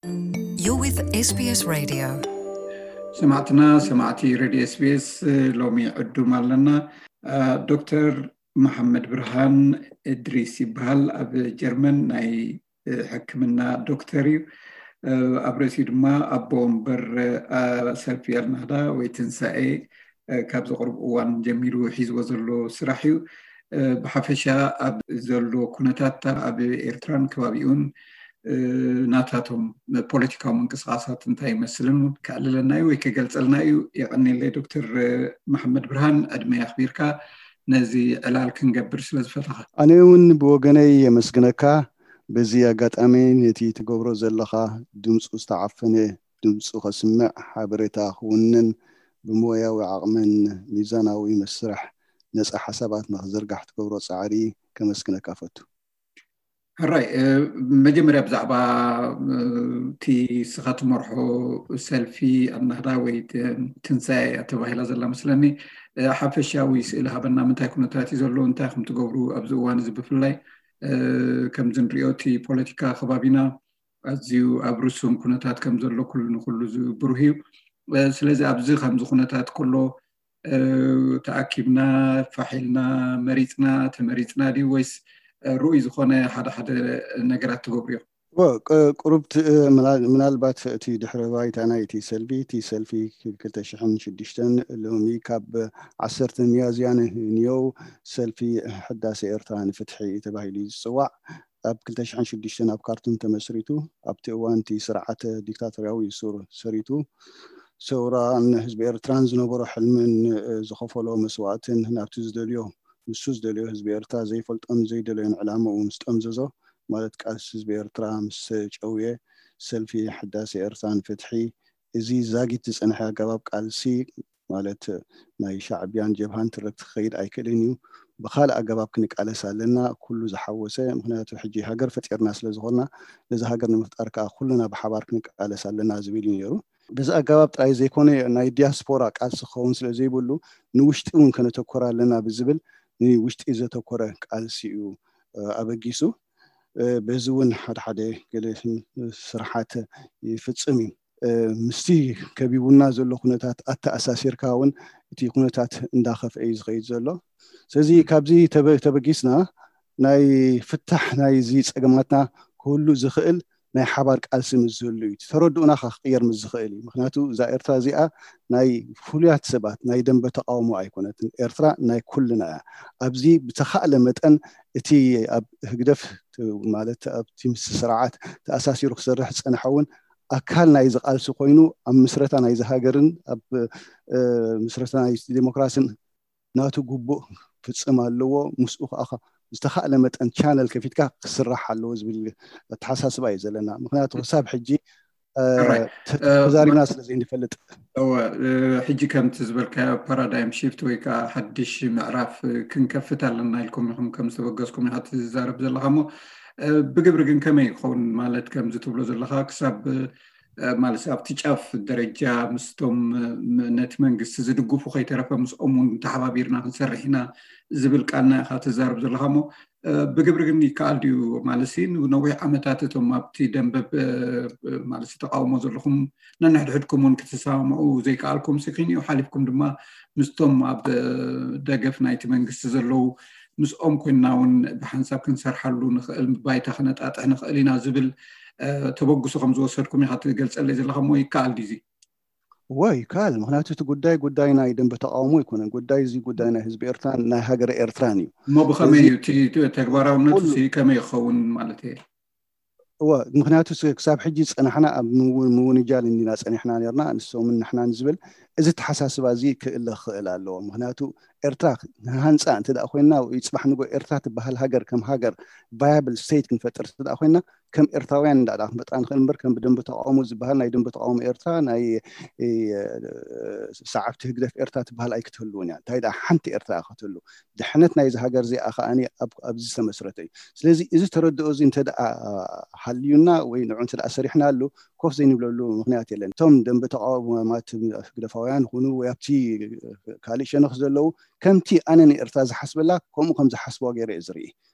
You're with S B S Radio. ሰማዕትና ሰማዕቲ ሬድዮ ኤስቢኤስ፣ ሎሚ ዕዱም ኣለና። ዶክተር መሓመድ ብርሃን እድሪስ ይበሃል። ኣብ ጀርመን ናይ ሕክምና ዶክተር እዩ። ኣብ ርእሲኡ ድማ ኣቦ ወንበር ሰልፊ ኣልናህዳ ወይ ትንሳኤ ካብ ዘቕርብ እዋን ጀሚሩ ሒዝዎ ዘሎ ስራሕ እዩ። ብሓፈሻ ኣብ ዘሎ ኩነታት ኣብ ኤርትራን ከባቢኡን ናታቶም ፖለቲካዊ ምንቅስቃሳት እንታይ ይመስልን እውን ከዕልለና እዩ ወይ ከገልፀልና እዩ። የቐኒለይ ዶክተር መሓመድ ብርሃን፣ ዕድመ ኣኽቢርካ ነዚ ዕላል ክንገብር ስለ ዝፈተኻ። ኣነ እውን ብወገነይ የመስግነካ። በዚ ኣጋጣሚ ነቲ ትገብሮ ዘለኻ ድምፁ ዝተዓፈነ ድምፁ ከስምዕ፣ ሓበሬታ ክውንን፣ ብሞያዊ ዓቕምን ሚዛናዊ መስርሕ ነፃ ሓሳባት ንክዝርጋሕ ትገብሮ ፃዕሪ ከመስግነካ ፈቱ። ሕራይ፣ መጀመርያ ብዛዕባ እቲ ስኻ ትመርሖ ሰልፊ ኣናህዳ ወይ ትንሳኤ ተባሂላ ዘላ መስለኒ ሓፈሻዊ ስእሊ ሃበና። ምንታይ ኩነታት እዩ ዘሎ? እንታይ ከም ትገብሩ ኣብዚ እዋን እዚ ብፍላይ ከምዚ ንሪኦ እቲ ፖለቲካ ከባቢና ኣዝዩ ኣብ ርሱም ኩነታት ከም ዘሎ ኩሉ ንኩሉ ዝብሩህ እዩ። ስለዚ ኣብዚ ከምዚ ኩነታት ከሎ ተኣኪብና ፋሕ ኢልና መሪፅና ተመሪፅና ድዩ ወይስ ርኡይ ዝኾነ ሓደ ሓደ ነገራት ትገብሩ ኢኹም? ቁሩብ ምናልባት እቲ ድሕረ ባይታ ናይ እቲ ሰልፊ እቲ ሰልፊ ክልተ ሽሕን ሽዱሽተን ሎሚ ካብ ዓሰርተ ሚያዝያ ንየው ሰልፊ ሕዳሴ ኤርትራ ንፍትሒ ተባሂሉ እዩ ዝፅዋዕ። ኣብ ክልተ ሽሕን ሽዱሽተን ኣብ ካርቱም ተመስሪቱ ኣብቲ እዋን እቲ ስርዓተ ዲክታቶርያዊ ሱር ሰሪቱ ሰውራን ህዝቢ ኤርትራን ዝነበሮ ሕልምን ዝኸፈሎ መስዋእትን ናብቲ ዝደልዮ ንሱ ዝደልዮ ህዝቢ ኤርትራ ዘይፈልጦን ዘይደለዮን ዕላምኡ ምስ ጠምዘዞ ማለት ቃልሲ ህዝቢ ኤርትራ ምስ ጨውየ ሰልፊ ሕዳሴ ኤርትራ ንፍትሒ እዚ ዛጊት ዝጸንሐ ኣገባብ ቃልሲ ማለት ናይ ሻዕብያን ጀብሃን ትርክት ክኸይድ ኣይክእልን እዩ። ብኻልእ ኣገባብ ክንቃለስ ኣለና ኩሉ ዝሓወሰ ምክንያቱ ሕጂ ሃገር ፈጢርና ስለ ዝኾንና ነዚ ሃገር ንምፍጣር ከዓ ኩልና ብሓባር ክንቃለስ ኣለና ዝብል እዩ ነይሩ። በዚ ኣገባብ ጥራይ ዘይኮነ ናይ ዲያስፖራ ቃልሲ ክኸውን ስለ ዘይብሉ ንውሽጢ እውን ከነተኮር ኣለና ብዝብል ንውሽጢ ዘተኮረ ቃልሲ እዩ ኣበጊሱ። በዚ እውን ሓደ ሓደ ገለ ስርሓት ይፍፅም እዩ። ምስቲ ከቢቡና ዘሎ ኩነታት ኣተኣሳሲርካ እውን እቲ ኩነታት እንዳኸፍአ እዩ ዝኸይድ ዘሎ። ስለዚ ካብዚ ተበጊስና ናይ ፍታሕ ናይዚ ፀገማትና ክህሉ ዝኽእል ናይ ሓባር ቃልሲ ምስ ዝህሉ እዩ። ተረድኡና ከዓ ክቅየር ምስ ዝኽእል እዩ። ምክንያቱ እዛ ኤርትራ እዚኣ ናይ ፍሉያት ሰባት ናይ ደንበ ተቃውሞ ኣይኮነትን። ኤርትራ ናይ ኩልና እያ። ኣብዚ ብተኻእለ መጠን እቲ ኣብ ህግደፍ ማለት ኣብቲ ምስ ስርዓት ተኣሳሲሩ ክሰርሕ ዝፀንሐ እውን ኣካል ናይዚ ቃልሲ ኮይኑ ኣብ ምስረታ ናይዚ ሃገርን ኣብ ምስረታ ናይ ዲሞክራሲን ናቱ ግቡእ ክፍፅም ኣለዎ። ምስኡ ከዓ ዝተኻእለ መጠን ቻነል ከፊትካ ክስራሕ ኣለዎ ዝብል ኣተሓሳስባ እዩ ዘለና። ምክንያቱ ክሳብ ሕጂ ተዛሪብና ስለ ዘይንፈልጥ። ሕጂ ከምቲ ዝበልካዮ ፓራዳይም ሽፍት ወይ ከዓ ሓድሽ ምዕራፍ ክንከፍት ኣለና ኢልኩም ኢኹም ከም ዝተበገስኩም ኢኻ ትዛረብ ዘለኻ እሞ ብግብሪ ግን ከመይ ይኸውን ማለት ከምዚ ትብሎ ዘለኻ ክሳብ ማለት ኣብቲ ጫፍ ደረጃ ምስቶም ነቲ መንግስቲ ዝድግፉ ከይተረፈ ምስኦም እውን ተሓባቢርና ክንሰርሕ ኢና ዝብል ቃልና ኢኻ ትዛረብ ዘለኻ እሞ ብግብሪ ግን ይከኣል ድዩ ማለት ነዊሕ ዓመታት እቶም ኣብቲ ደንበ ማለት ተቃውሞ ዘለኹም ነንሕድሕድኩም እውን ክትሰማምዑ ዘይከኣልኩም ክንዩ ሓሊፍኩም ድማ ምስቶም ኣብ ደገፍ ናይቲ መንግስቲ ዘለዉ ምስኦም ኮይንና እውን ብሓንሳብ ክንሰርሓሉ ንኽእል ባይታ ክነጣጥሕ ንኽእል ኢና ዝብል ተበግሶ ከም ዝወሰድኩም ኢኻ ትገልፀለይ ዘለኻ እሞ ይከኣል ድዩ? እወ ይከኣል። ምክንያቱ እቲ ጉዳይ ጉዳይ ናይ ደንበ ተቃውሞ ኣይኮነን። ጉዳይ እዚ ጉዳይ ናይ ህዝቢ ኤርትራን ናይ ሃገረ ኤርትራን እዩ። እሞ ብኸመይ እዩ እቲ ተግባራውነቱ ከመይ ይኸውን ማለት እየ? እወ ምክንያቱ ክሳብ ሕጂ ዝፀናሕና ኣብ ምውንጃል እንዲና ፀኒሕና ነርና ንሶምን ንሕናን ዝብል እዚ ተሓሳስባ እዚ ክእለ ክኽእል ኣለዎ። ምክንያቱ ኤርትራ ንሃንፃ እንተ ኮይና ወይ ፅባሕ ንጎ ኤርትራ ትበሃል ሃገር ከም ሃገር ቫያብል ስቴት ክንፈጥር እንተ ኮይና ከም ኤርትራውያን እንዳ ክንፈጥራ ንኽእል እምበር ከም ብደንበ ተቃውሞ ዝበሃል ናይ ደንበ ተቃውሞ ኤርትራ ናይ ሰዓብቲ ህግደፍ ኤርትራ ትበሃል ኣይክትህልውን እያ። እንታይ ደኣ ሓንቲ ኤርትራ ክትህሉ ድሕነት ናይዚ ሃገር እዚኣ ከኣ ኣብዚ ዝተመስረተ እዩ። ስለዚ እዚ ተረድኦ እዚ እንተ ደኣ ሃልዩና ወይ ንዑ እንተ ደኣ ሰሪሕናሉ ኮፍ ዘይንብለሉ ምክንያት የለን። እቶም ደንበ ተቃውሞማት ህግደፋውያን ይኹኑ ወይ ኣብቲ ካልእ ሸነኽ ዘለዉ ከምቲ ኣነ ንኤርትራ ዝሓስበላ ከምኡ ከም ዝሓስብዋ ገይረ እየ ዝርኢ።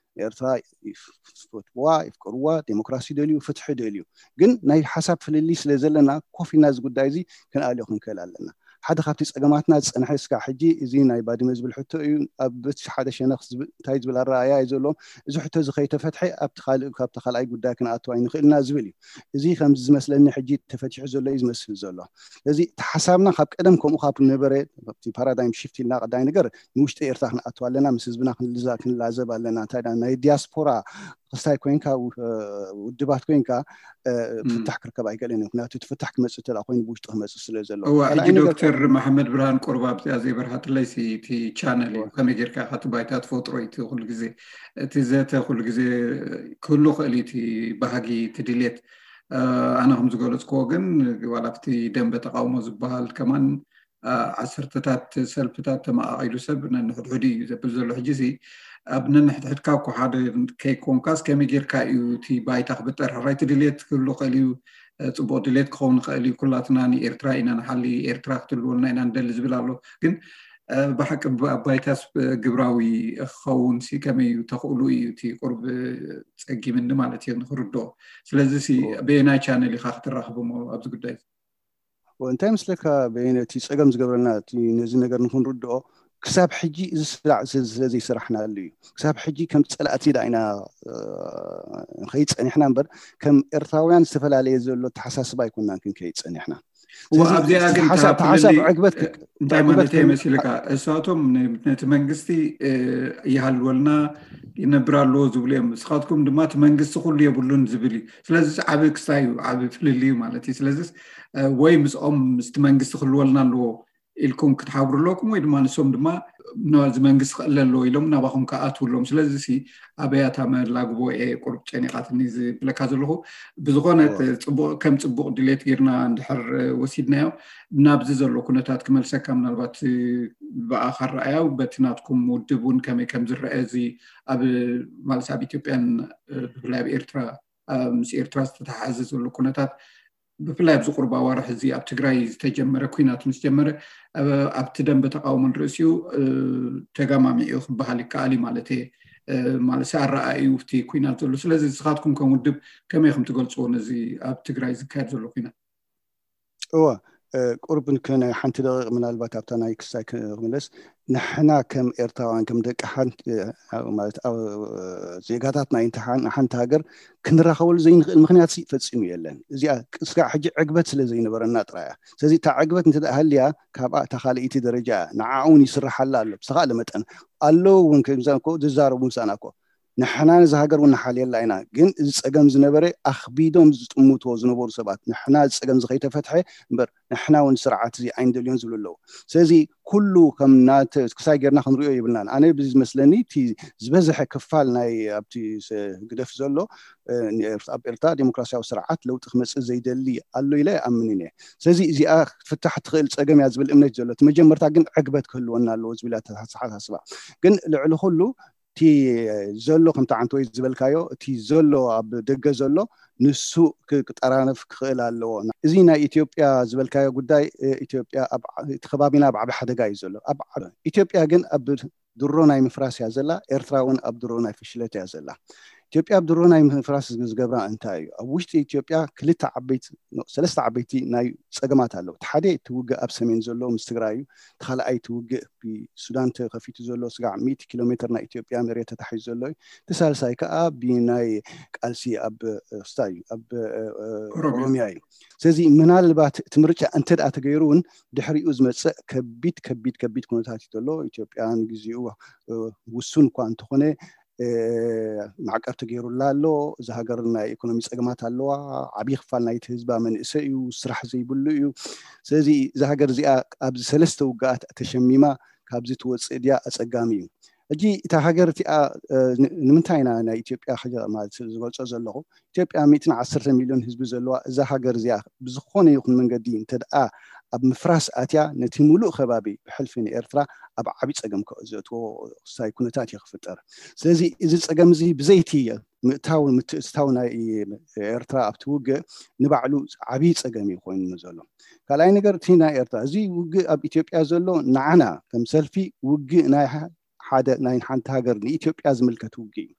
ኤርትራ ይፈትዋ ይፍቀርዋ፣ ዴሞክራሲ ደልዩ፣ ፍትሒ ደልዩ። ግን ናይ ሓሳብ ፍልልይ ስለ ዘለና ኮፍ ኢልና እዚ ጉዳይ እዚ ክንኣልዮ ክንክእል ኣለና። ሓደ ካብቲ ፀገማትና ዝፀንሐ እስካ ሕጂ እዚ ናይ ባድመ ዝብል ሕቶ እዩ። ኣብ በቲ ሓደ ሸነኽ እንታይ ዝብል ኣረኣያ እዩ ዘለዎም። እዚ ሕቶ እዚ ከይተፈትሐ ኣብቲ ካልእ ካብቲ ካልኣይ ጉዳይ ክንኣትዋ ይንኽእልና ዝብል እዩ። እዚ ከምዚ ዝመስለኒ ሕጂ ተፈቲሑ ዘሎ እዩ ዝመስል ዘሎ። ስለዚ እቲ ሓሳብና ካብ ቀደም ከምኡ ካብ ነበረ ፓራዳይም ሽፍት ኢልና ቀዳይ ነገር ንውሽጢ ኤርትራ ክንኣትዋ ኣለና፣ ምስ ህዝብና ክንልዛ ክንላዘብ ኣለና። እንታይ ናይ ዲያስፖራ ክስታይ ኮይንካ ውድባት ኮይንካ ፍታሕ ክርከብ ኣይክእልን እዩ። ምክንያቱ እቲ ፍታሕ ክመፅእ እንተ ኮይኑ ብውሽጢ ክመፅእ ስለ ዘለዎ። ሕጂ ዶክተር መሓመድ ብርሃን ቁርብ ኣብዚኣ ዘይበርሃትለይ እቲ ቻነል እዩ። ከመይ ጌርካ ኢኻ እቲ ባይታ ትፈጥሮ እዩ። እቲ ኩሉ ግዜ እቲ ዘተ ኩሉ ግዜ ክህሉ ክእል እዩ። እቲ ባህጊ እቲ ድሌት ኣነ ከም ዝገለፅክዎ ግን ዋላ ኣብቲ ደንበ ተቃውሞ ዝበሃል ከማን ዓሰርተታት ሰልፍታት ተመቃቂሉ ሰብ ነንሕድሕዱ እዩ ዘብል ዘሎ። ሕጂ ሲ ኣብ ነንሕድሕድካ እኮ ሓደ ከይኮንካስ ከመይ ጌርካ እዩ እቲ ባይታ ክብጠር? ሕራይ እቲ ድሌት ክህሉ ክእል እዩ፣ ፅቡቅ ድሌት ክኸውን ይኽእል እዩ። ኩላትና ንኤርትራ ኢና ንሓሊ፣ ኤርትራ ክትህልወልና ኢና ንደሊ ዝብል ኣሎ። ግን ብሓቂ ኣብ ባይታስ ግብራዊ ክኸውን ሲ ከመይ እዩ ተኽእሉ እዩ እቲ ቁርብ ፀጊምኒ ማለት እዩ ንክርድኦ። ስለዚ ሲ በየናይ ቻነል ኢኻ ክትራኽብሞ ኣብዚ ጉዳይ? እንታይ ምስለካ በየነ እቲ ፀገም ዝገብረና ነዚ ነገር ንክንርድኦ ክሳብ ሕጂ እዚ ስራዕ ስለዘይሰራሕናሉ እዩ። ክሳብ ሕጂ ከም ፀላእቲ ዳ ኢና ንኸይድ ፀኒሕና እምበር ከም ኤርትራውያን ዝተፈላለየ ዘሎ ተሓሳስባ ኣይኮናን ክንከይድ ፀኒሕና። ኣብዚኣ ግን ሓሳብ ዕግበት እንታይ ማለት መሲልካ እሳቶም ነቲ መንግስቲ ይሃልወልና ይነብር ኣለዎ ዝብሉ እዮም። ንስኻትኩም ድማ እቲ መንግስቲ ኩሉ የብሉን ዝብል እዩ። ስለዚ ዓብ ክስታይ እዩ፣ ዓብ ፍልል እዩ ማለት እዩ። ስለዚ ወይ ምስኦም ምስቲ መንግስቲ ክህልወልና ኣለዎ ኢልኩም ክትሓብሩ ኣለኩም ወይ ድማ ንሶም ድማ ነዚ መንግስቲ ክእል ኣለዎ ኢሎም ናባኹም ክኣትውሎም። ስለዚ ኣበያታ መላግቦ እየ ቁርብ ጨኒቃትኒ ዝብለካ ዘለኹ። ብዝኾነ ከም ፅቡቅ ድሌት ጌርና እንድሕር ወሲድናዮ ናብዚ ዘሎ ኩነታት ክመልሰካ ምናልባት ብኣኻ ረኣያው በቲ ናትኩም ውድብ እውን ከመይ ከም ዝረአ እዚ ኣብ ማለት ኣብ ኢትዮጵያን ብፍላይ ኣብ ኤርትራ ምስ ኤርትራ ዝተተሓሓዘ ዘሎ ኩነታት ብፍላይ ኣብዚ ቁርብ ኣዋርሕ እዚ ኣብ ትግራይ ዝተጀመረ ኩናት ምስ ጀመረ ኣብቲ ደንበ ተቃውሞ ንርእሲኡ ተጋማሚዑ ክበሃል ይከኣል እዩ ማለት እየ። ማለት ኣረኣእዩ እቲ ኩናት ዘሎ። ስለዚ ንስኻትኩም ከም ውድብ ከመይ ከም ትገልፅዎ ነዚ ኣብ ትግራይ ዝካየድ ዘሎ ኩናት? እወ ቁርብ ናይ ሓንቲ ደቂቕ ምናልባት ኣብታ ናይ ክስታይ ክምለስ። ንሕና ከም ኤርትራውያን ከም ደቂ ሓንቲ ማለት ዜጋታት ናይ ሓንቲ ሃገር ክንራኸበሉ ዘይንኽእል ምክንያት ፈፂሙ የለን። እዚኣ እስካዕ ሕጂ ዕግበት ስለ ዘይነበረና ጥራያ። ስለዚ እታ ዕግበት እንተ ሃልያ ካብኣ እታ ካልእይቲ ደረጃ ንዓኡ እውን ይስርሓላ ኣሎ ብዝተኻእለ መጠን። ኣለዉ እውን ከምዛ ዝዛረቡ ምሳና እኮ ንሕና ነዚ ሃገር እውን ንሓልየላ ኢና። ግን እዚ ፀገም ዝነበረ ኣኽቢዶም ዝጥምትዎ ዝነበሩ ሰባት ንሕና እዚ ፀገም እዚ ከይተፈትሐ እምበር ንሕና እውን ስርዓት እዚ ኣይንደልዮን ዝብሉ ኣለዉ። ስለዚ ኩሉ ከም ክሳይ ጌርና ክንሪኦ የብልናን። ኣነ ብዝመስለኒ እቲ ዝበዝሐ ክፋል ናይ ኣብቲ ግደፍ ዘሎ ኣብ ኤርትራ ዴሞክራሲያዊ ስርዓት ለውጢ ክመፅእ ዘይደሊ ኣሎ ኢለ ኣምን እየ። ስለዚ እዚኣ ክትፍታሕ ትኽእል ፀገም እያ ዝብል እምነት ዘሎ። እቲ መጀመርታ ግን ዕግበት ክህልወና ኣለዎ ዝብል ኣተሓሳስባ። ግን ልዕሊ ኩሉ እቲ ዘሎ ከምቲ ዓንተወይ ዝበልካዮ እቲ ዘሎ ኣብ ደገ ዘሎ ንሱ ክጠራነፍ ክኽእል ኣለዎ። እዚ ናይ ኢትዮጵያ ዝበልካዮ ጉዳይ ኢትዮጵያ እቲ ከባቢና ኣብ ዓቢ ሓደጋ እዩ ዘሎ። ኢትዮጵያ ግን ኣብ ድሮ ናይ ምፍራስ እያ ዘላ። ኤርትራ እውን ኣብ ድሮ ናይ ፍሽለት እያ ዘላ። ኢትዮጵያ ኣብ ድሮ ናይ ምፍራስ ዝገብራ እንታይ እዩ? ኣብ ውሽጢ ኢትዮጵያ ክልተ ዓበይቲ ሰለስተ ዓበይቲ ናይ ፀገማት ኣለዉ። እቲ ሓደ እቲ ውግእ ኣብ ሰሜን ዘሎ ምስ ትግራይ እዩ። እቲ ካልኣይ እቲ ውግእ ብሱዳን ተኸፊቱ ዘሎ ስጋዕ ሚእቲ ኪሎ ሜትር ናይ ኢትዮጵያ መሬት ተታሒዙ ዘሎ እዩ። እቲ ሳልሳይ ከዓ ብናይ ቃልሲ ኣብ ስታ እዩ ኣብ ኦሮሚያ እዩ። ስለዚ ምናልባት እቲ ምርጫ እንተ ደኣ ተገይሩ እውን ድሕሪኡ ዝመፅእ ከቢድ ከቢድ ከቢድ ኩነታት እዩ ዘሎ። ኢትዮጵያ ንግዚኡ ውሱን እኳ እንተኾነ ማዕቀብ ተገይሩላ ኣሎ። እዚ ሃገር ናይ ኢኮኖሚ ፀገማት ኣለዋ። ዓብዪ ክፋል ናይቲ ህዝባ መንእሰይ እዩ፣ ስራሕ ዘይብሉ እዩ። ስለዚ እዛ ሃገር እዚኣ ኣብዚ ሰለስተ ውግኣት ተሸሚማ ካብዚ ትወፅእ ድያ ኣፀጋሚ እዩ። ሕጂ እታ ሃገር እቲኣ ንምንታይ ኢና ናይ ኢትዮጵያ ማለት ዝገልፆ ዘለኹ ኢትዮጵያ ሚእትን ዓሰርተ ሚልዮን ህዝቢ ዘለዋ እዛ ሃገር እዚኣ ብዝኾነ ይኹን መንገዲ እንተደኣ ኣብ ምፍራስ ኣትያ ነቲ ሙሉእ ከባቢ ብሕልፊ ንኤርትራ ኣብ ዓብዪ ፀገም ዘእትዎ ክስታይ ኩነታት እዩ ክፍጠር። ስለዚ እዚ ፀገም እዚ ብዘይቲ ምእታው ምትእትታው ናይ ኤርትራ ኣብቲ ውግእ ንባዕሉ ዓብዪ ፀገም እዩ ኮይኑ ዘሎ። ካልኣይ ነገር እቲ ናይ ኤርትራ እዚ ውግእ ኣብ ኢትዮጵያ ዘሎ ንዓና ከም ሰልፊ ውግእ ናይ ሓደ ናይ ሓንቲ ሃገር ንኢትዮጵያ ዝምልከት ውግእ እዩ።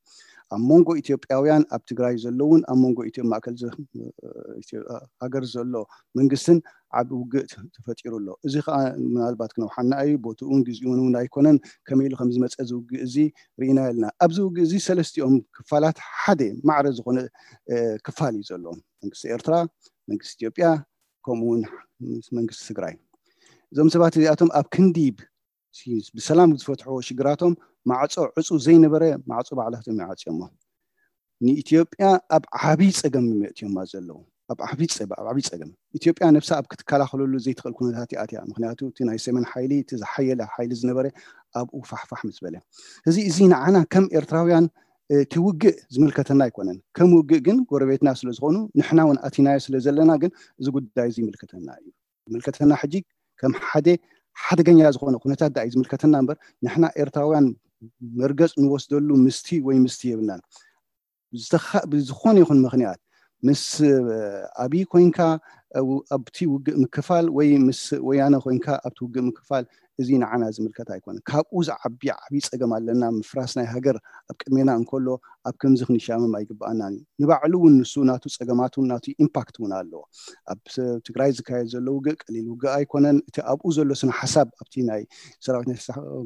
ኣብ መንጎ ኢትዮጵያውያን ኣብ ትግራይ ዘለውን ኣብ መንጎ ኢትዮ ማእከል ሃገር ዘሎ መንግስትን ዓብ ውግእ ተፈጢሩ ኣሎ። እዚ ከዓ ምናልባት ክነውሓና እዩ። ቦትኡን ግዜኡን እውን ኣይኮነን። ከመይ ኢሉ ከም ዝመፀ እዚ ውግእ እዚ ርኢና የለና። ኣብዚ ውግእ እዚ ሰለስቲኦም ክፋላት ሓደ ማዕረ ዝኾነ ክፋል እዩ ዘሎ። መንግስቲ ኤርትራ፣ መንግስቲ ኢትዮጵያ፣ ከምኡ እውን መንግስቲ ትግራይ። እዞም ሰባት እዚኣቶም ኣብ ክንዲ ብሰላም ዝፈትሕዎ ሽግራቶም ማዕፆ ዕፁ ዘይነበረ ማዕፆ ባዕላቶም ይዓፅዮሞ። ንኢትዮጵያ ኣብ ዓብይ ፀገም መእትዮማ ዘለዉ ኣብ ዓብይ ፀገም ኢትዮጵያ ነብሳ ኣብ ክትከላኸለሉ ዘይትኽእል ኩነታት ይኣትያ። ምክንያቱ እቲ ናይ ሰሜን ሓይሊ እቲ ዝሓየለ ሓይሊ ዝነበረ ኣብኡ ፋሕፋሕ ምስ በለ፣ እዚ እዚ ንዓና ከም ኤርትራውያን እቲ ውግእ ዝምልከተና ኣይኮነን። ከም ውግእ ግን ጎረቤትና ስለዝኾኑ ንሕና እውን ኣቲናዮ ስለዘለና ግን እዚ ጉዳይ እዚ ይምልከተና እዩ። ዝምልከተና ሕጂ ከም ሓደ ሓደገኛ ዝኾነ ኩነታት ዳ እዩ ዝምልከተና እምበር ንሕና ኤርትራውያን መርገፅ ንወስደሉ ምስቲ ወይ ምስቲ የብልናን። ብዝኾነ ይኹን ምክንያት ምስ ኣብይ ኮይንካ ኣብቲ ውግእ ምክፋል ወይ ምስ ወያነ ኮይንካ ኣብቲ ውግእ ምክፋል እዚ ንዓና ዝምልከት ኣይኮነ። ካብኡ ዝዓቢ ዓብይ ፀገም ኣለና። ምፍራስ ናይ ሃገር ኣብ ቅድሜና እንከሎ ኣብ ከምዚ ክንሻመም ኣይግብኣናን እዩ። ንባዕሉ እውን ንሱ ናቱ ፀገማት እውን ናቱ ኢምፓክት እውን ኣለዎ። ኣብ ትግራይ ዝካየድ ዘሎ ውግእ ቀሊል ውግእ ኣይኮነን። እቲ ኣብኡ ዘሎ ስነ ሓሳብ ኣብቲ ናይ ሰራዊት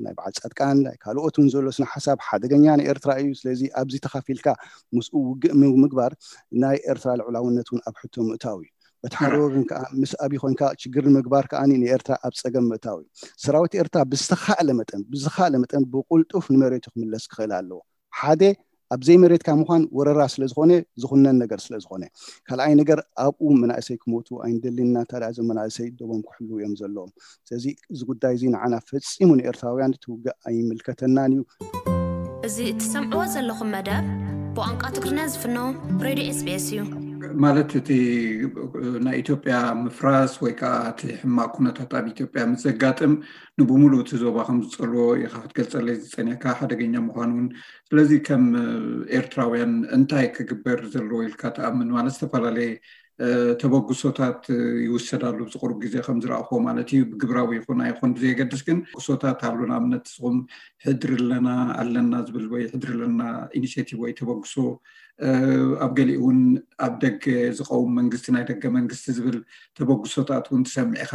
ናይ በዓል ፃድቃን ናይ ካልኦት እውን ዘሎ ስነ ሓሳብ ሓደገኛ ንኤርትራ እዩ። ስለዚ ኣብዚ ተኻፊልካ ምስኡ ውግእ ምግባር ናይ ኤርትራ ልዕላውነት እውን ኣብ ሕቶ ምእታው እዩ። በቲ ሓደ ወገን ከዓ ምስ ኣብይ ኮይንካ ሽግር ንምግባር ከዓ ንኤርትራ ኣብ ፀገም ምእታው እዩ። ሰራዊት ኤርትራ ብዝተኻእለ መጠን ብዝኻእለ መጠን ብቁልጡፍ ንመሬቱ ክምለስ ክኽእል ኣለዎ። ሓደ ኣብ ዘይመሬትካ ምዃን ወረራ ስለዝኾነ ዝኹነን ነገር ስለዝኾነ፣ ካልኣይ ነገር ኣብኡ መናእሰይ ክሞቱ ኣይንደልን ኢና። ታዲያ እዞም መናእሰይ ደቦም ክሕልዉ እዮም ዘለዎም። ስለዚ እዚ ጉዳይ እዚ ንዓና ፈፂሙ ንኤርትራውያን እቲ ውግእ ኣይምልከተናን እዩ። እዚ እትሰምዕዎ ዘለኹም መደብ ብቋንቋ ትግርኛ ዝፍኖ ሬድዮ ኤስቢኤስ እዩ። ማለት እቲ ናይ ኢትዮጵያ ምፍራስ ወይ ከዓ እቲ ሕማቅ ኩነታት ኣብ ኢትዮጵያ ምስ ዘጋጥም ንብሙሉ እቲ ዞባ ከም ዝፀልዎ ኢካ ክትገልፀለይ ዝፀኒካ ሓደገኛ ምኳኑ እውን። ስለዚ ከም ኤርትራውያን እንታይ ክግበር ዘለዎ ኢልካ ትኣምን? ማለት ዝተፈላለየ ተበግሶታት ይውሰዳሉ ኣብዚ ቁሩብ ግዜ ከም ዝረኣኹዎ ማለት እዩ። ብግብራዊ ይኹን ኣይኹን ብዘየገድስ ግን ተበግሶታት ኣሎ። ንኣብነት ንስኹም ሕድሪ ኣለና ኣለና ዝብል ወይ ሕድሪ ኣለና ኢኒሽቲቭ ወይ ተበግሶ ኣብ ገሊኡ እውን ኣብ ደገ ዝቀውም መንግስቲ ናይ ደገ መንግስቲ ዝብል ተበግሶታት እውን ትሰምዕ ኢኻ።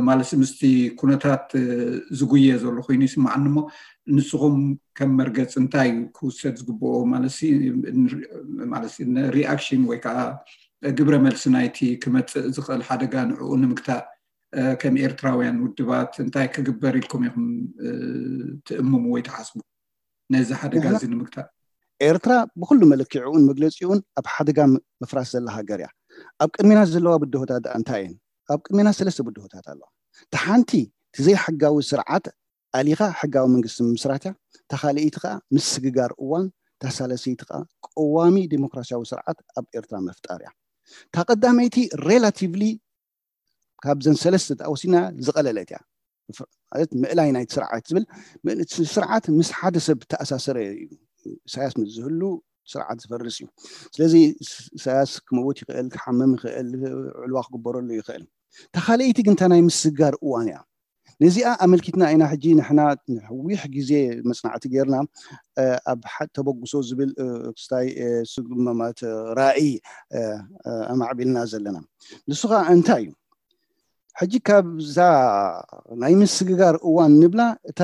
ማለት ምስቲ ኩነታት ዝጉየ ዘሎ ኮይኑ ይስማዓኒ እሞ ንስኹም ከም መርገፂ እንታይ ክውሰድ ዝግብኦ ማለት ሪኣክሽን ወይ ከዓ ግብረ መልሲ ናይቲ ክመፅእ ዝኽእል ሓደጋ ንዕኡ ንምግታእ ከም ኤርትራውያን ውድባት እንታይ ክግበር ኢልኩም ኢኹም ትእምሙ ወይ ትሓስቡ ነዚ ሓደጋ እዚ ንምግታእ? ኤርትራ ብኩሉ መለኪዕኡን መግለፂኡን ኣብ ሓደጋ ምፍራስ ዘላ ሃገር እያ። ኣብ ቅድሜና ዘለዋ ብድሆታት ደኣ እንታይ እየን? ኣብ ቅድሜና ሰለስተ ብድሆታት ኣለዋ። እቲ ሓንቲ እቲ ዘይሕጋዊ ስርዓት ኣሊኻ ሕጋዊ መንግስቲ ምምስራት እያ። እታ ካልኣይቲ ከዓ ምስግጋር እዋን፣ እታ ሳልሰይቲ ከዓ ቀዋሚ ዴሞክራሲያዊ ስርዓት ኣብ ኤርትራ ምፍጣር እያ። እታ ቀዳመይቲ ሬላቲቭሊ ካብዘን ሰለስተ ተወሲና ዝቐለለት እያ። ማለት ምእላይ ናይቲ ስርዓት ዝብል ስርዓት ምስ ሓደ ሰብ ተኣሳሰረ እዩ። ኢሳያስ ምስ ዝህሉ ስርዓት ዝፈርስ እዩ። ስለዚ ኢሳያስ ክመውት ይኽእል፣ ክሓምም ይኽእል፣ ዕልዋ ክግበረሉ ይኽእል። እታ ካልኣይቲ ግን እታ ናይ ምስግጋር እዋን እያ። ነዚኣ ኣመልኪትና ኢና ሕጂ ንሕና ነዊሕ ግዜ መፅናዕቲ ጌርና ኣብ ተበግሶ ዝብል ክስታይ ስጉመማት ራእይ ኣማዕቢልና ዘለና። ንሱ ከዓ እንታይ እዩ? ሕጂ ካብዛ ናይ ምስግጋር እዋን ንብላ እታ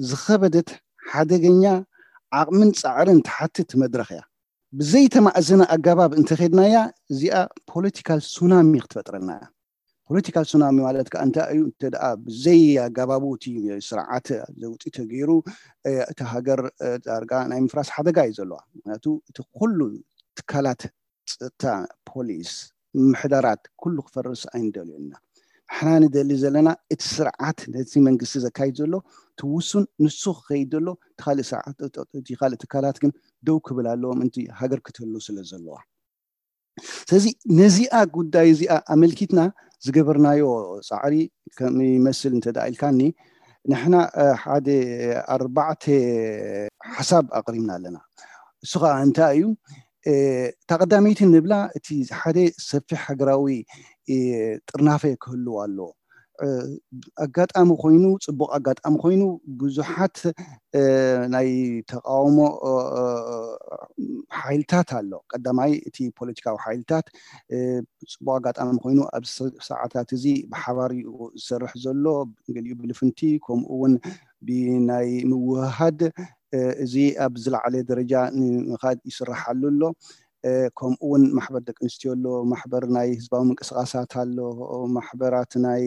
ዝኸበደት ሓደገኛ ዓቕምን ፃዕርን ትሓትት መድረኽ እያ። ብዘይተማእዘነ ኣገባብ እንተኸድናያ እዚኣ ፖለቲካል ሱናሚ ክትፈጥረልና እያ። ፖለቲካል ሱናሚ ማለት ከዓ እንታይ እዩ? እንተ ደኣ ብዘይ ኣገባቡ እቲ ስርዓት ለውጢ ተገይሩ እታ ሃገር ዳርጋ ናይ ምፍራስ ሓደጋ እዩ ዘለዋ። ምክንያቱ እቲ ኩሉ ትካላት ፀጥታ፣ ፖሊስ፣ ምምሕዳራት ኩሉ ክፈርስ ኣይንደልዮ ኢና። ንሕና ንደሊ ዘለና እቲ ስርዓት ነቲ መንግስቲ ዘካይድ ዘሎ እቲ ውሱን ንሱ ክኸይድ ዘሎ እቲ ካልእ ስርዓት እቲ ካልእ ትካላት ግን ደው ክብል ኣለዎም እንቲ ሃገር ክትህሉ ስለ ዘለዋ። ስለዚ ነዚኣ ጉዳይ እዚኣ ኣመልኪትና ዝገበርናዮ ፃዕሪ ከም ይመስል እንተ ደኣ ኢልካኒ ንሕና ሓደ ኣርባዕተ ሓሳብ ኣቕሪብና ኣለና። እሱ ከዓ እንታይ እዩ? እታ ቀዳመይቲ ንብላ እቲ ሓደ ሰፊሕ ሃገራዊ ጥርናፈ ክህልው ኣለዎ። ኣጋጣሚ ኮይኑ፣ ፅቡቕ ኣጋጣሚ ኮይኑ ብዙሓት ናይ ተቃውሞ ሓይልታት ኣሎ። ቀዳማይ እቲ ፖለቲካዊ ሓይልታት ፅቡቕ ኣጋጣሚ ኮይኑ ኣብዚ ሰዓታት እዚ ብሓባር እዩ ዝሰርሕ ዘሎ። ገሊኡ ብልፍንቲ፣ ከምኡ እውን ብናይ ምውህሃድ እዚ ኣብ ዝለዓለ ደረጃ ንምኻድ ይስራሓሉ ኣሎ። ከምኡ እውን ማሕበር ደቂ ኣንስትዮ ኣሎ፣ ማሕበር ናይ ህዝባዊ ምንቅስቃሳት ኣሎ፣ ማሕበራት ናይ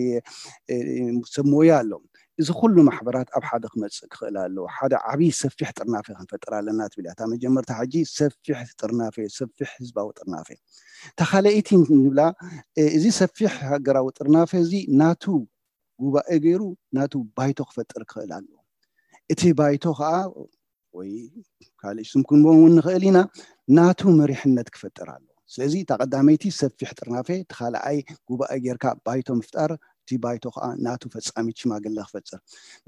ሰብ ሞያ ኣሎ። እዚ ኩሉ ማሕበራት ኣብ ሓደ ክመፅእ ክኽእል ኣለዎ። ሓደ ዓብዪ ሰፊሕ ጥርናፈ ክንፈጥር ኣለና ትብል እያ እታ መጀመርታ። ሕጂ ሰፊሕ ጥርናፈ፣ ሰፊሕ ህዝባዊ ጥርናፈ። እታ ካልኣይቲ ንብላ፣ እዚ ሰፊሕ ሃገራዊ ጥርናፈ እዚ ናቱ ጉባኤ ገይሩ ናቱ ባይቶ ክፈጥር ክኽእል ኣለዎ። እቲ ባይቶ ከዓ ወይ ካልእ ስም ክንቦም እውን ንኽእል ኢና፣ ናቱ መሪሕነት ክፈጥር ኣለዎ። ስለዚ እታ ቀዳመይቲ ሰፊሕ ጥርናፈ፣ እቲ ካልኣይ ጉባኤ ጌርካ ባይቶ ምፍጣር፣ እቲ ባይቶ ከዓ ናቱ ፈጻሚት ሽማግለ ክፈጥር።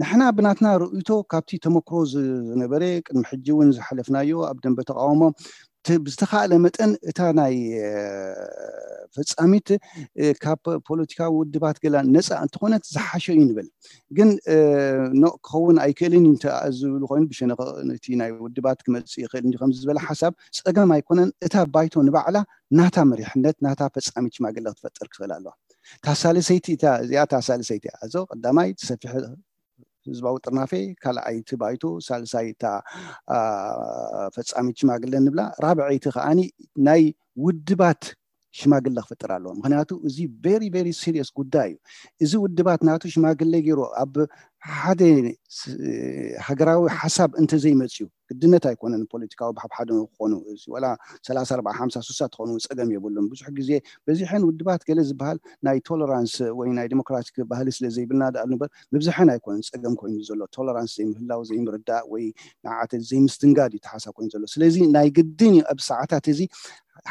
ንሕና ብናትና ርእይቶ ካብቲ ተመክሮ ዝነበረ ቅድሚ ሕጂ እውን ዝሓለፍናዮ ኣብ ደንበ ተቃውሞ ብዝተኻእለ መጠን እታ ናይ ፈጻሚት ካብ ፖለቲካዊ ውድባት ገላ ነፃ እንተኾነት ዝሓሸ እዩ ንብል። ግን ኖ ክኸውን ኣይክእልን እዩ ዝብሉ ኮይኑ ብሸነኽ ነቲ ናይ ውድባት ክመፅእ ይኽእል እንዲ ከም ዝበለ ሓሳብ ፀገም ኣይኮነን። እታ ባይቶ ንባዕላ ናታ መሪሕነት ናታ ፈጻሚት ሽማግለ ክትፈጥር ክኽእል ኣለዋ። ታሳልሰይቲ እዚኣ ታሳልሰይቲ እያ። እዞ ቀዳማይ ሰፊሕ ህዝባዊ ጥርናፌ፣ ካልኣይቲ ባይቶ፣ ሳልሳይታ ፈጻሚት ሽማግለ ንብላ፣ ራብዐይቲ ከዓኒ ናይ ውድባት ሽማግለ ክፍጥር ኣለዎ። ምክንያቱ እዚ very very serious ጉዳይ እዩ። እዚ ውድባት ናቱ ሽማግለ ገይሩ ኣብ ሓደ ሃገራዊ ሓሳብ እንተዘይመፅዩ፣ ግድነት ኣይኮነን ፖለቲካዊ ብሓብሓደ ክኾኑ፣ ወላ ሰላሳ ኣርባዓ ሓምሳ ስሳ ትኾኑ ፀገም የብሉን። ብዙሕ ግዜ በዚሐን ውድባት ገለ ዝበሃል ናይ ቶለራንስ ወይ ናይ ዲሞክራቲክ ባህሊ ስለ ዘይብልና ደኣ እምበር፣ ምብዝሐን ኣይኮነን ፀገም ኮይኑ ዘሎ። ቶለራንስ ዘይምህላው፣ ዘይምርዳእ ወይ ንዓተ ዘይምስትንጋድ እዩ ተሓሳብ ኮይኑ ዘሎ። ስለዚ ናይ ግድን እዩ ኣብ ሰዓታት እዚ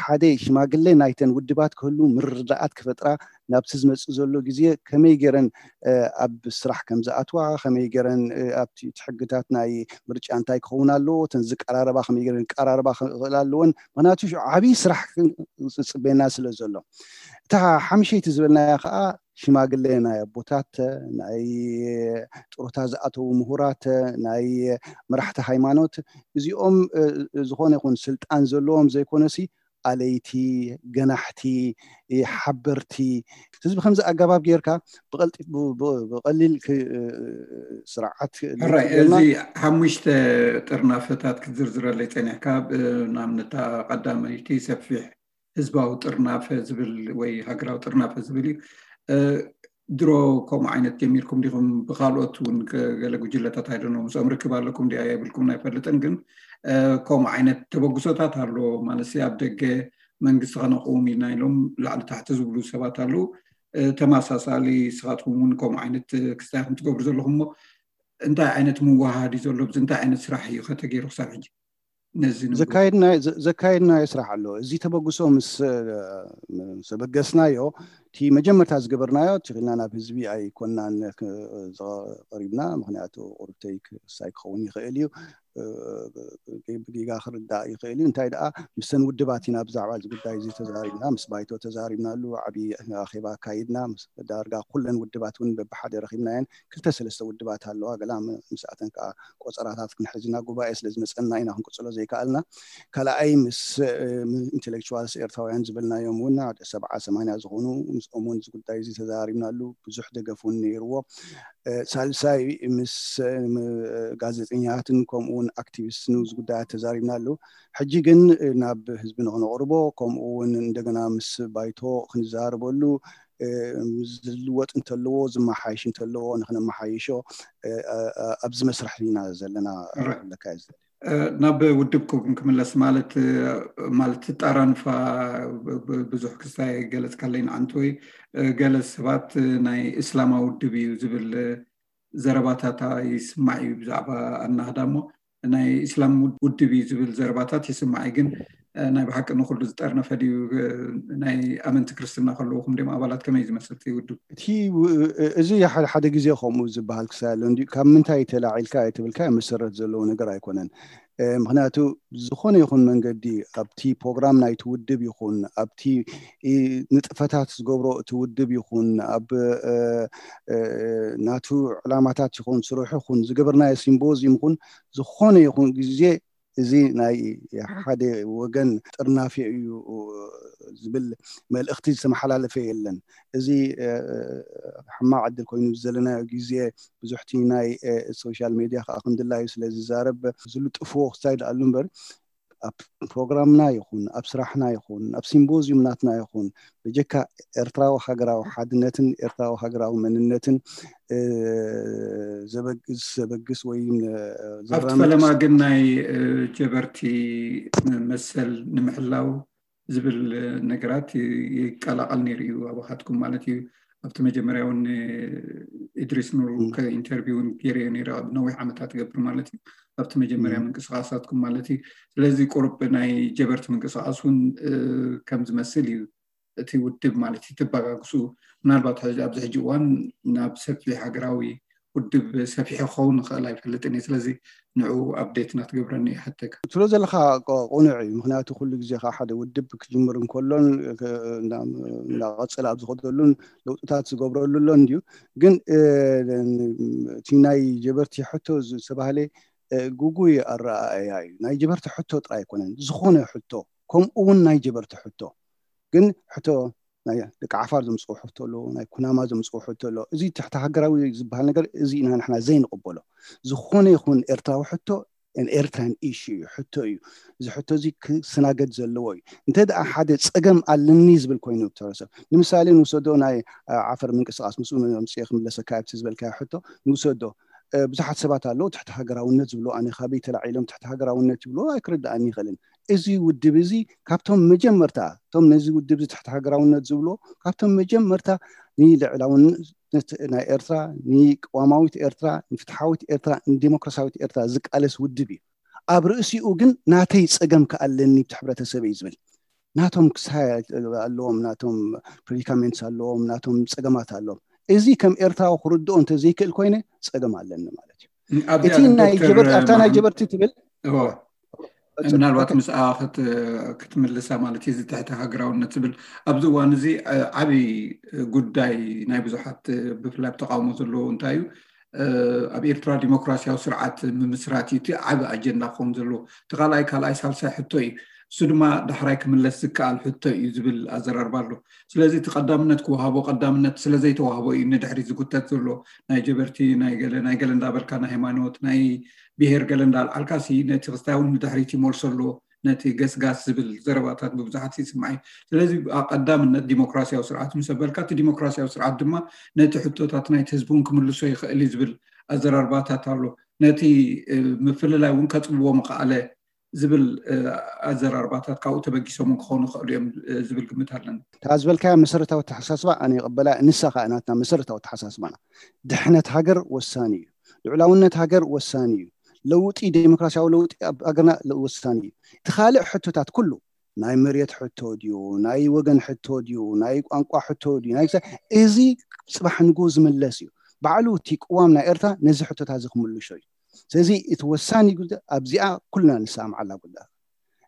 ሓደ ሽማግለ ናይተን ውድባት ክህሉ፣ ምርዳኣት ክፈጥራ፣ ናብቲ ዝመፅእ ዘሎ ግዜ ከመይ ገይረን ኣብ ስራሕ ከም ዝኣትዋ፣ ከመይ ገይረን ኣብቲ ሕግታት ናይ ምርጫ እንታይ ክኸውን ኣለዎ፣ እተን ዝቀራረባ ከመይ ገይረን ክቀራረባ ክኽእል ኣለወን። ምክንያቱ ዓብዪ ስራሕ ዝፅበየና ስለ ዘሎ። እታ ሓምሸይቲ ዝበልናያ ከዓ ሽማግለ ናይ ኣቦታት፣ ናይ ጥሮታ ዝኣተዉ ምሁራት፣ ናይ መራሕቲ ሃይማኖት፣ እዚኦም ዝኾነ ይኹን ስልጣን ዘለዎም ዘይኮነሲ ኣለይቲ፣ ገናሕቲ፣ ሓበርቲ፣ ህዝቢ ከምዚ ኣገባብ ጌርካ ብቐሊል ስርዓት ሕራይ። እዚ ሓሙሽተ ጥርናፈታት ክትዝርዝረለይ ፀኒሕካ፣ ንኣብነታ ቀዳመይቲ ሰፊሕ ህዝባዊ ጥርናፈ ዝብል ወይ ሃገራዊ ጥርናፈ ዝብል እዩ። ድሮ ከምኡ ዓይነት ጀሚርኩም ዲኹም? ብካልኦት እውን ገለ ጉጅለታት ኣይደኖ ምስኦም ርክብ ኣለኩም ዲያ የብልኩም ኣይፈልጥን፣ ግን ከምኡ ዓይነት ተበግሶታት ኣሎ ማለት ኣብ ደገ መንግስቲ ከነቕውም ኢልና ኢሎም ላዕሊ ታሕቲ ዝብሉ ሰባት ኣለዉ። ተመሳሳሊ ንስኻትኩም እውን ከምኡ ዓይነት ክስታይ ከም ትገብሩ ዘለኹም እሞ እንታይ ዓይነት ምወሃድ እዩ ዘሎ? ብዚ እንታይ ዓይነት ስራሕ እዩ ከተገይሩ ክሳብ ሕጂ? ዘካየድናዮ ስራሕ ኣሎ። እዚ ተበግሶ ምስ ኣበገስናዮ እቲ መጀመርታ ዝገበርናዮ ትኽልና ናብ ህዝቢ ኣይኮናን ቀሪብና። ምክንያቱ ቁርብተይ ክሳይ ክኸውን ይኽእል እዩ፣ ብጌጋ ክርዳእ ይኽእል እዩ። እንታይ ደኣ ምስተን ውድባት ኢና ብዛዕባ እዚ ጉዳይ እዚ ተዛሪብና፣ ምስ ባይቶ ተዛሪብናሉ፣ ዓብዪ ኣኼባ ኣካይድና። ዳርጋ ኩለን ውድባት እውን በብሓደ ረኺብናየን። ክልተ ሰለስተ ውድባት ኣለዋ፣ ገላ ምስኣተን ከዓ ቆፀራታት ክንሕዝ ኢና። ጉባኤ ስለ ዝመፀና ኢና ክንቅፅሎ ዘይከኣልና። ካልኣይ ምስ ኢንቴሌክቹዋልስ ኤርትራውያን ዝበልናዮም እውን ሓደ ሰብዓ ሰማንያ ዝኾኑ ምስኦም እውን እዚ ጉዳይ እዚ ተዘራሪብናሉ። ብዙሕ ደገፍ እውን ነይርዎ። ሳልሳይ ምስ ጋዜጠኛትን ከምኡ እውን ኣክቲቪስትን እዚ ጉዳያት ተዛሪብናሉ። ሕጂ ግን ናብ ህዝቢ ንክነቕርቦ ከምኡ እውን እንደገና ምስ ባይቶ ክንዛረበሉ ዝልወጥ እንተለዎ ዝመሓይሽ እንተለዎ ንክነመሓይሾ ኣብዚ መስርሕ ኢና ዘለና። ለካ እዩ ዝደሊ ናብ ውድብኩም ክምለስ ማለት ማለት ጣራንፋ ብዙሕ ክስታይ ገለጽካለይ ንዓንቲ ወይ ገለ ሰባት ናይ እስላማዊ ውድብ እዩ ዝብል ዘረባታት ይስማዕ እዩ ብዛዕባ ኣናህዳ እሞ ናይ እስላም ውድብ እዩ ዝብል ዘረባታት ይስማዕ እዩ። ግን ናይ ብሓቂ ንኩሉ ዝጠርነፈ ድዩ? ናይ ኣመንቲ ክርስትና ከለውኹም ድም ኣባላት ከመይ ዝመስል ውድብ? እቲ እዚ ሓደ ግዜ ከምኡ ዝበሃል ክሳይ ኣሎ እንዲ ካብ ምንታይ ተላዒልካ ኣይትብልካ መሰረት ዘለዎ ነገር ኣይኮነን። ምክንያቱ ዝኾነ ይኹን መንገዲ ኣብቲ ፕሮግራም ናይቲ ውድብ ይኹን ኣብቲ ንጥፈታት ዝገብሮ እቲ ውድብ ይኹን ኣብ ናቱ ዕላማታት ይኹን ስርሑ ይኹን ዝገበርናዮ ሲምቦዚም ይኹን ዝኾነ ይኹን ግዜ እዚ ናይ ሓደ ወገን ጥርናፊ እዩ ዝብል መልእኽቲ ዝተመሓላለፈ የለን። እዚ ሕማቕ ዕድል ኮይኑ ዘለናዮ ግዜ ብዙሕቲ ናይ ሶሻል ሜድያ ከዓ ክንድላዩ ስለ ዝዛረብ ዝልጥፍዎ ክሳይ ደኣሉ እምበር ኣብ ፕሮግራምና ይኹን ኣብ ስራሕና ይኹን ኣብ ሲምቦዚዩም ናትና ይኹን ብጀካ ኤርትራዊ ሃገራዊ ሓድነትን ኤርትራዊ ሃገራዊ መንነትን ዘበግስ ወይ ኣብቲ ፈለማ ግን ናይ ጀበርቲ መሰል ንምሕላው ዝብል ነገራት ይቀላቀል ነይሩ እዩ ኣባካትኩም ማለት እዩ። ኣብቲ መጀመርያ እውን ኢድሪስ ኑር ኢንተርቪው እውን ገይረዮ ነይረ ኣብ ነዊሕ ዓመታት ገብር ማለት እዩ ኣብቲ መጀመርያ ምንቅስቃሳትኩም ማለት እዩ። ስለዚ ቁሩብ ናይ ጀበርቲ ምንቅስቃስ እውን ከም ዝመስል እዩ እቲ ውድብ ማለት እዩ ትበጋግሱ ምናልባት ኣብዚ ሕጂ እዋን ናብ ሰፊሕ ሃገራዊ ውድብ ሰፊሑ ክኸውን ይኽእል ኣይፈልጥን እየ። ስለዚ ንዑ ኣፕዴት ናትገብረኒ ይሓተካ። ትብሎ ዘለካ ቁኑዕ እዩ። ምክንያቱ ኩሉ ግዜ ከዓ ሓደ ውድብ ክጅምር እንከሎን እንዳቐፅል ኣብ ዝኸደሉን ለውጥታት ዝገብረሉ ኣሎ እንድዩ። ግን እቲ ናይ ጀበርቲ ሕቶ ዝተባህለ ጉጉይ ኣረኣእያ እዩ። ናይ ጀበርቲ ሕቶ ጥራይ ኣይኮነን፣ ዝኾነ ሕቶ ከምኡ እውን ናይ ጀበርቲ ሕቶ ግን ሕቶ ናይ ደቂ ዓፋር ዘምፅኡ ሕቶ ኣሎ፣ ናይ ኩናማ ዘምፅኡ ሕቶ ኣሎ። እዚ ትሕቲ ሃገራዊ ዝበሃል ነገር እዚ ኢና ንሕና ዘይንቕበሎ። ዝኾነ ይኹን ኤርትራዊ ሕቶ ኤርትራን ኢሹ እዩ፣ ሕቶ እዩ። እዚ ሕቶ እዚ ክስተናገድ ዘለዎ እዩ። እንተ ደኣ ሓደ ፀገም ኣለኒ ዝብል ኮይኑ ተረሰብ ንምሳሌ ንውሰዶ ናይ ዓፈር ምንቅስቃስ ምስኡ መምፅኦ ክምለሰካ ኣብቲ ዝበልካዮ ሕቶ ንውሰዶ ብዙሓት ሰባት ኣለዉ ትሕቲ ሃገራውነት ዝብሉ ኣነ ካበይ ተላዒሎም ትሕቲ ሃገራውነት ይብሉ ኣይክርድኣኒ ይኽእልን። እዚ ውድብ እዚ ካብቶም መጀመርታ እቶም ነዚ ውድብ እዚ ትሕቲ ሃገራውነት ዝብሉ ካብቶም መጀመርታ ንልዕላውነት ናይ ኤርትራ ንቅዋማዊት ኤርትራ ንፍትሓዊት ኤርትራ ንዴሞክራሲያዊት ኤርትራ ዝቃለስ ውድብ እዩ። ኣብ ርእሲኡ ግን ናተይ ፀገም ከኣለኒ ብቲ ሕብረተሰበይ ዝብል ናቶም ክሳይ ኣለዎም ናቶም ፕሪዲካሜንትስ ኣለዎም ናቶም ፀገማት ኣለዎም። እዚ ከም ኤርትራዊ ክርድኦ እንተዘይክእል ኮይነ ፀገም ኣለኒ ማለት እዩ። እቲ ናይ ጀበርቲ ኣብታ ናይ ጀበርቲ ትብል ምናልባት ምስኣ ክትምልሳ ማለት እዩ። እዚ ትሕቲ ሃገራውነት ዝብል ኣብዚ እዋን እዚ ዓብዪ ጉዳይ ናይ ብዙሓት ብፍላይ ተቃውሞ ዘለዎ እንታይ እዩ ኣብ ኤርትራ ዲሞክራሲያዊ ስርዓት ምምስራት እዩ እቲ ዓቢ ኣጀንዳ ክኸውን ዘለዎ። እቲ ካልኣይ ካልኣይ ሳልሳይ ሕቶ እዩ። እሱ ድማ ዳሕራይ ክምለስ ዝከኣል ሕቶ እዩ ዝብል ኣዘራርባ ኣሎ። ስለዚ እቲ ቀዳምነት ክወሃቦ ቀዳምነት ስለዘይተዋህቦ እዩ ንድሕሪ ዝጉተት ዘሎ። ናይ ጀበርቲ ናይ ገለ ናይ ገለ እንዳበልካ ናይ ሃይማኖት ናይ ብሄር ገለ እንዳልዓልካ ሲ ነቲ ክስታይ እውን ንድሕሪት ይመልሶ ኣሎ። ነቲ ገስጋስ ዝብል ዘረባታት ብብዙሓት ይስማዕ እዩ። ስለዚ ቀዳምነት ዲሞክራሲያዊ ስርዓት ምስ ኣበልካ እቲ ዲሞክራሲያዊ ስርዓት ድማ ነቲ ሕቶታት ናይቲ ህዝቢ እውን ክምልሶ ይኽእል እዩ ዝብል ኣዘራርባታት ኣሎ። ነቲ ምፍልላይ እውን ከፅብዎ ምኽኣለ ዝብል ኣዘራርባታት ካብኡ ተበጊሶም ክኾኑ ይኽእሉ እዮም ዝብል ግምት ኣለኒ። እታ ዝበልካያ መሰረታዊ ኣተሓሳስባ ኣነ ይቕበላ። ንሳ ከዓ ናትና መሰረታዊ ኣተሓሳስባና ድሕነት ሃገር ወሳኒ እዩ። ልዑላውነት ሃገር ወሳኒ እዩ። ለውጢ ዴሞክራሲያዊ ለውጢ ኣብ ሃገርና ወሳኒ እዩ። እቲ ካልእ ሕቶታት ኩሉ ናይ መሬት ሕቶ ድዩ ናይ ወገን ሕቶ ድዩ ናይ ቋንቋ ሕቶ ድዩ ናይ እዚ ፅባሕ ንጎ ዝምለስ እዩ። ባዕሉ እቲ ቅዋም ናይ ኤርትራ ነዚ ሕቶታት እዚ ክምልሾ እዩ። ስለዚ እቲ ወሳኒ ጉዳይ ኣብዚኣ ኩልና ንሰማምዓላ ጉዳይ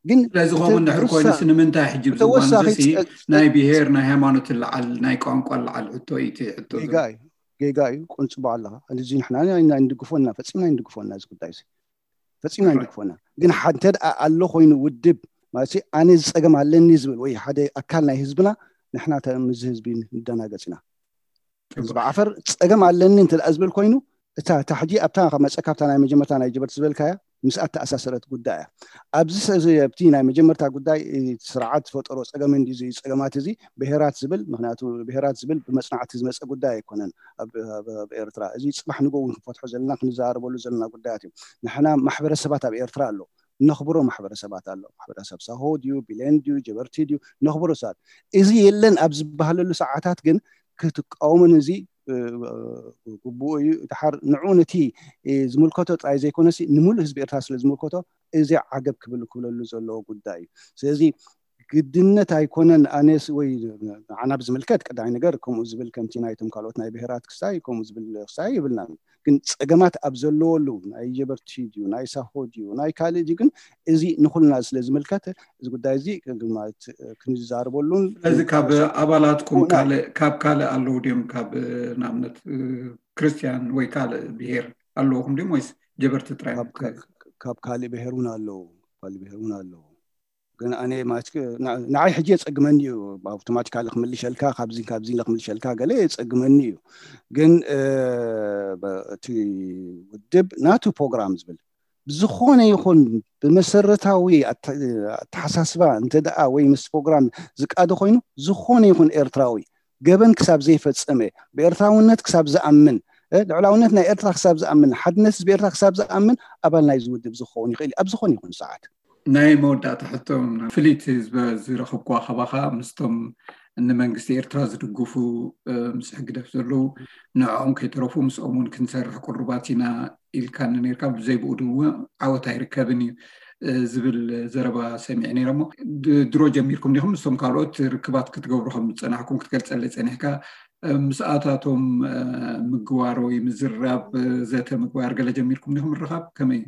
ግን ስለዚ ከምኡ እንድሕር ኮይኑስ ንምንታይ ሕጂ ብዝዋንዚ ናይ ብሄር ናይ ሃይማኖት ለዓል ናይ ቋንቋ ለዓል ሕቶ እዩ እቲ ሕቶ ጌጋ እዩ። ጌጋ እዩ። ቁንፅቦ ኣለኻ። እዚ ንሕና ኣይንድግፎና ፈፂምና ኣይንድግፎና እዚ ጉዳይ እዚ ፈፂምና ኣይንድግፎና። ግን እንተ ኣሎ ኮይኑ ውድብ ማለት ኣነ ዝፀገም ኣለኒ ዝብል ወይ ሓደ ኣካል ናይ ህዝብና ንሕና ምስ ህዝቢ ንደናገፅ ኢና። ህዝቢ ዓፈር ፀገም ኣለኒ እንተ ዝብል ኮይኑ እታ እታ ሕጂ ኣብታ መፀ ካብታ ናይ መጀመርታ ናይ ጀበርቲ ዝበልካያ ምስ ኣተኣሳሰረት ጉዳይ እያ። ኣብዚ ሰዚ ኣብቲ ናይ መጀመርታ ጉዳይ ስርዓት ዝፈጠሮ ፀገም እንዲ ፀገማት እዚ ብሄራት ዝብል ምክንያቱ ብሄራት ዝብል ብመፅናዕቲ ዝመፀ ጉዳይ ኣይኮነን። ኣብ ኤርትራ እዚ ፅባሕ ንጎ እውን ክንፈትሖ ዘለና ክንዘራረበሉ ዘለና ጉዳያት እዮም። ንሕና ማሕበረሰባት ኣብ ኤርትራ ኣሎ እነኽብሮ ማሕበረሰባት ኣሎ። ማሕበረሰብ ሳሆ ድዩ ቢሌን ድዩ ጀበርቲ ድዩ እነኽብሮ ሰባት እዚ የለን ኣብ ዝበሃለሉ ሰዓታት ግን ክትቃወሙን እዚ ግቡኡ እዩ። ድሓር ንዑ ነቲ ዝምልከቶ ጥራይ ዘይኮነሲ ንምሉእ ህዝቢ ኤርትራ ስለ ዝምልከቶ እዚ ዓገብ ክብል ክብለሉ ዘለዎ ጉዳይ እዩ። ስለዚ ግድነት ኣይኮነን። ኣነስ ወይ ንዓና ብዝምልከት ቀዳማይ ነገር ከምኡ ዝብል ከምቲ ናይቶም ካልኦት ናይ ብሔራት ክሳይ ከምኡ ዝብል ክሳይ ይብልናን። ግን ጸገማት ኣብ ዘለወሉ ናይ ጀበርቲ ድዩ ናይ ሳሆ ድዩ ናይ ካልእ ድዩ ግን እዚ ንኹልና ስለ ዝምልከት እዚ ጉዳይ እዚ ማለት ክንዛረበሉን ስለዚ ካብ ኣባላትኩም ካልእ ካብ ካልእ ኣለዉ ድዮም ካብ ንኣብነት ክርስቲያን ወይ ካልእ ብሄር ኣለውኹም ድዮም ወይስ ጀበርቲ ጥራይ ካብ ካልእ ብሄር እውን ኣለዉ ካልእ ብሄር እውን ኣለዉ ግን ኣነ ማለት ንዓይ ሕጂ የጸግመኒ እዩ ኣውቶማቲካሊ ክምልሸልካ ካብዚ ካብዚ ክምልሸልካ ገለ የጸግመኒ እዩ ግን እቲ ውድብ ናቱ ፕሮግራም ዝብል ብዝኾነ ይኹን ብመሰረታዊ ኣተሓሳስባ እንተ ደኣ ወይ ምስ ፕሮግራም ዝቃደ ኮይኑ ዝኾነ ይኹን ኤርትራዊ ገበን ክሳብ ዘይፈጸመ ብኤርትራውነት ክሳብ ዝኣምን ልዕላውነት ናይ ኤርትራ ክሳብ ዝኣምን ሓድነት ህዝቢ ኤርትራ ክሳብ ዝኣምን ኣባል ናይ ዝውድብ ዝኸውን ይኽእል ኣብ ዝኾነ ይኹን ሰዓት ናይ መወዳእታ ሕቶ ፍልይቲ ዝረኸብኩዋ ካባኻ ምስቶም ንመንግስቲ ኤርትራ ዝድግፉ ምስ ሕግደፍ ዘለዉ ንዕኦም ከይተረፉ ምስኦም እውን ክንሰርሕ ቅሩባት ኢና ኢልካኒ ነርካ ብዘይ ብኡ ድው ዓወት ኣይርከብን እዩ ዝብል ዘረባ ሰሚዐ ነይረ እሞ ድሮ ጀሚርኩም ዲኹም ምስቶም ካልኦት ርክባት ክትገብሩ ከም ዝፀናሕኩም ክትገልፀለይ ፀኒሕካ ምስኣታቶም ምግባር ወይ ምዝራብ ዘተ ምግባር ገለ ጀሚርኩም ዲኹም ምርኻብ ከመይ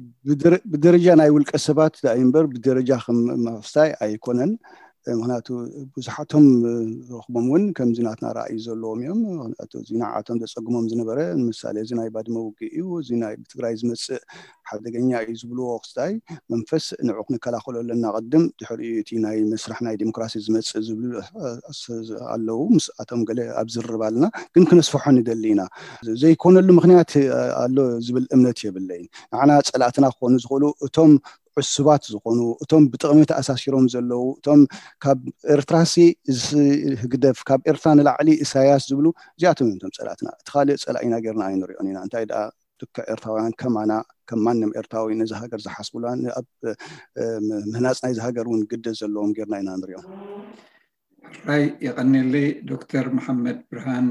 ብደረጃ ናይ ውልቀ ሰባት ዳይ እምበር ብደረጃ ከም መፍስታይ ኣይኮነን ምክንያቱ ብዙሓቶም ረኽቦም እውን ከምዚ ናትና ራእይ ዘለዎም እዮም ምክንያቱ እዚ ንዓቶም ዘፀግሞም ዝነበረ ንምሳሌ እዚ ናይ ባድመ ውግእ እዩ እዚ ናይ ብትግራይ ዝመፅእ ሓደገኛ እዩ ዝብልዎ ክስታይ መንፈስ ንዑ ክንከላኸሎ ኣለና ቅድም ድሕሪኡ እቲ ናይ መስራሕ ናይ ዲሞክራሲ ዝመፅእ ዝብሉ ኣለዉ ምስኣቶም ገለ ኣብ ዝርርብ ኣለና ግን ክነስፍሖ ንደሊ ኢና ዘይኮነሉ ምክንያት ኣሎ ዝብል እምነት የብለይን ንዓና ፀላእትና ክኾኑ ዝኽእሉ እቶም ዕሱባት ዝኾኑ እቶም ብጥቕሚ ተኣሳሲሮም ዘለዉ እቶም ካብ ኤርትራሲ ህግደፍ ካብ ኤርትራ ንላዕሊ ኢሳያስ ዝብሉ እዚኣቶም እዮም እቶም ፀላእትና እቲ ካልእ ፀላኢና ጌርና ኣይንሪኦን ኢና እንታይ ደኣ ልክዕ ኤርትራውያን ከማና ከም ማንም ኤርትራዊ ነዚ ሃገር ዝሓስቡላ ኣብ ምህናፅ ናይዚ ሃገር እውን ግደ ዘለዎም ጌርና ኢና ንሪኦም ራይ የቐኔለይ ዶክተር መሓመድ ብርሃን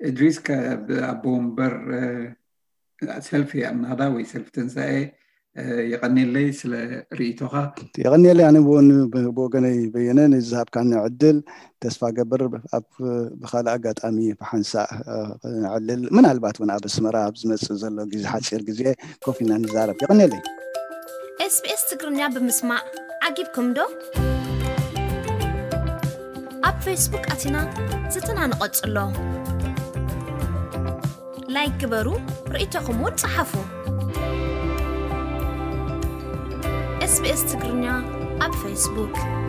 እድሪስ ካብ ኣቦ ወንበር ሰልፊ ኣናዳ ወይ ሰልፊ ትንሳኤ የቐኔለይ ስለ ርእይቶኻ የቐኔለይ ኣነ ብወገነይ በየነ ነዚ ዝሃብካኒ ዕድል ተስፋ ገብር ኣብ ብካልእ ኣጋጣሚ ብሓንሳእ ንዕልል ምናልባት እውን ኣብ ኣስመራ ኣብ ዝመፅእ ዘሎ ግዜ ሓፂር ግዜ ኮፍ ኢና ንዛረብ የቐኔለይ SBS ትግርኛ ብምስማዕ ዓጊብኩም ዶ? ኣብ ፌስቡክ ኣቲና ዝትና ንቐጽሎ ላይክ ግበሩ ርእይቶኹም እውን ጸሓፉ SBS ትግርኛ ኣብ ፌስቡክ